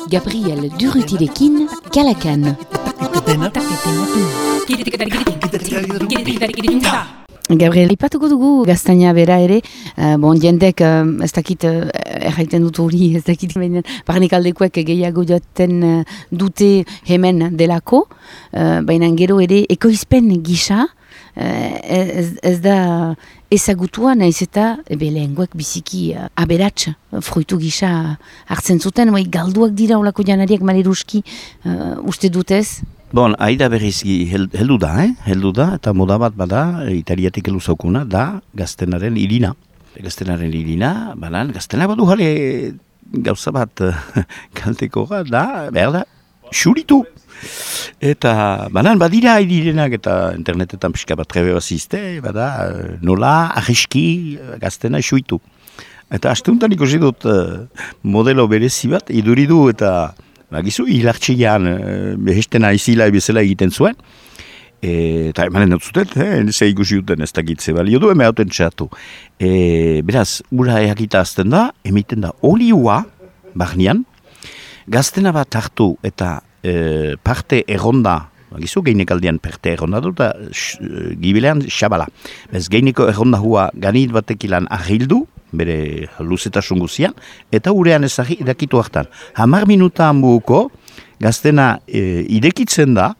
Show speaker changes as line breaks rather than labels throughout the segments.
Gabriel Durrutirekin, Kalakan. Gabriel, ipatuko dugu gaztaina bera ere, jendek ez dakit erraiten dut hori, ez dakit barnek aldekoek gehiago joaten dute hemen delako, baina gero ere ekoizpen gisa, ez da ezagutua naiz eta lehengoek biziki aberats fruitu gisa hartzen zuten, galduak dira olako janariak maleruski uste dutez?
Bon, aida berrizki heldu da, eta moda bat bada, italiatik helu zaukuna, da gaztenaren irina. Gaztenaren irina, gaztena badu jale gauza bat kalteko da, behar da, xuritu. Eta badira idirenak eta internetetan pixka bat trebe bazizte, nola ahiski gaztena xuitu. Eta asteuntan ikusi dut modelo berezi bat, iduridu eta gizu hilartxian behestena izila ebezela egiten zuen. Eta emanen dut zuten, ze ikusi duten ez dakitze balio du, eme hauten txatu. Beraz, ura eakita azten da, emiten da olioa, barnean, gaztena bat hartu eta parte erronda, gizu geinekaldian parte erronda dut, gibilean xabala. Bez geineko erronda hua ganit batekilan ahildu, bere luzetasun guzian, eta urean ezagri idakitu hartan. 10 minuta hanbuko gaztena idekitzen da,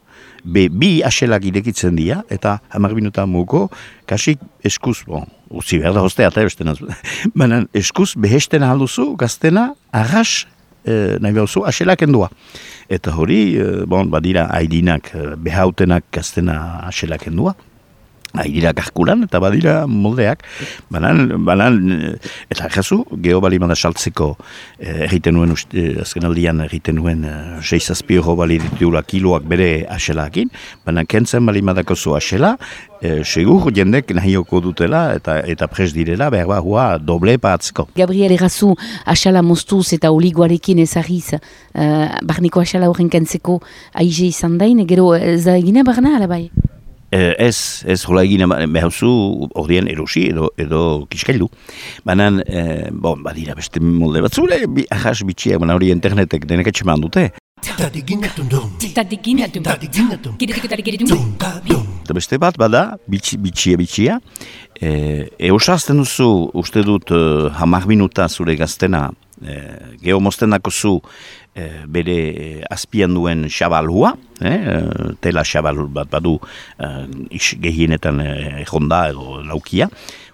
bi aselak idekitzen dira, eta 10 minuta hanbuko kasik eskuz, utzi behar da hostea, eta eskuz behesten alduzu gaztena arras nahi behuzu aselak endua. Eta hori, badira aidinak behautenak gaztena aselak endua. Aidira karkulan eta badira moldeak. Eta jazu, geobalimada saltzeko egiten nuen, azken aldian egiten nuen 6 euro bali ditula kiloak bere aselakin, baina kentzen balimadako zu asela, segur jendek nahioko dutela eta pres direla, behar hua doble patzko.
Gabriel, errazu asala moztuz eta oligoarekin ezagiz, barniko asala horren kentzeko aize izan dain, gero ez da egina barna, alabai?
Ez hola egin behauzu ordean erosi edo kiskailu. Banan, badira beste molde bat zure, ahas bitxiak, hori internetek denek etxeman dute. Eta beste bat bada, bitxia. Eusazten duzu, uste dut 10 minuta zure gaztena, geomozten dako zu bere azpian duen xabalhua, tela xabal bat badu gehienetan honda edo laukia,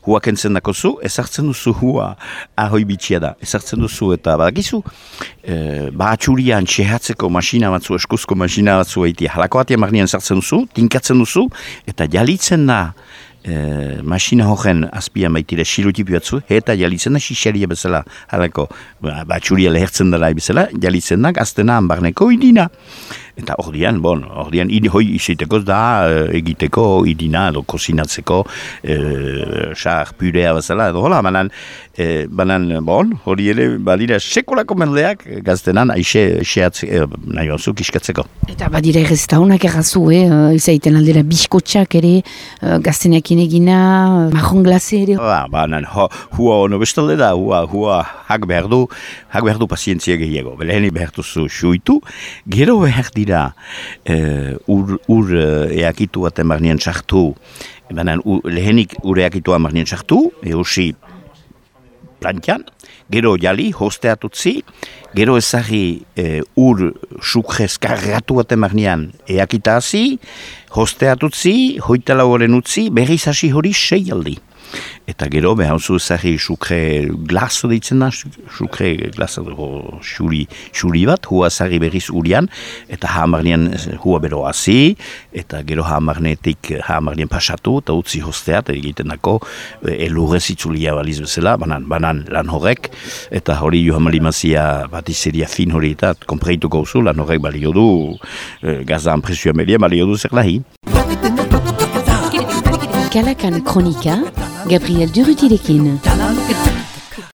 hua kentzen dako zu, ezartzen duzu hua ahoi bitxia da, ezartzen duzu eta badakizu, bahatxurian txehatzeko masina batzu, eskuzko masina batzu egitea, halako batia marnian ezartzen duzu, tinkatzen duzu, eta jalitzen da, masina horren azpian baitire silutipi batzu, eta jalitzen da xixaria bezala, halako, batxuria lehertzen dela bezala, jalitzen da gaztena hanbarneko idina. Eta ordian hoi iziteko da egiteko idina edo kozinatzeko xar purea bezala edo hola, hori ere badira sekolako mendeak gaztenan aixeatze nahi batzuk iskatzeko.
Eta badira erreztaunak errazu, izaiten aldera biskotxak ere, gaztenekin egina, marron glase ere.
Hua ono bestalde da, hua hak behar du pazientzia gehiago. Leheni behar duzu xuitu, gero behar dira ur eakitu baten barnean txartu, lehenik ur eakitua barnean txartu, eusi plantian, gero jali, hosteatutzi, gero ezagri ur sukrez kargatu baten barnean eakita hazi, hosteatutzi, hoitala horren utzi, berriz hasi hori 6 aldi. Eta gero behauzu ezagri sukre glazo ditzen da, sukre glazo xuri bat, hua ezagri berriz urian, eta hamarnean hua bero hazi, eta gero hamarnean pasatu, eta utzi hosteat, egiten dako elurrez itzulia baliz bezala, banan lan horrek, eta hori johan malimazia batizeria fin hori eta konpreituko uzu, lan horrek balio du, gazan presioa media balio du zer lahi.
Kalakan Kronika, Gabriel Durrutirekin.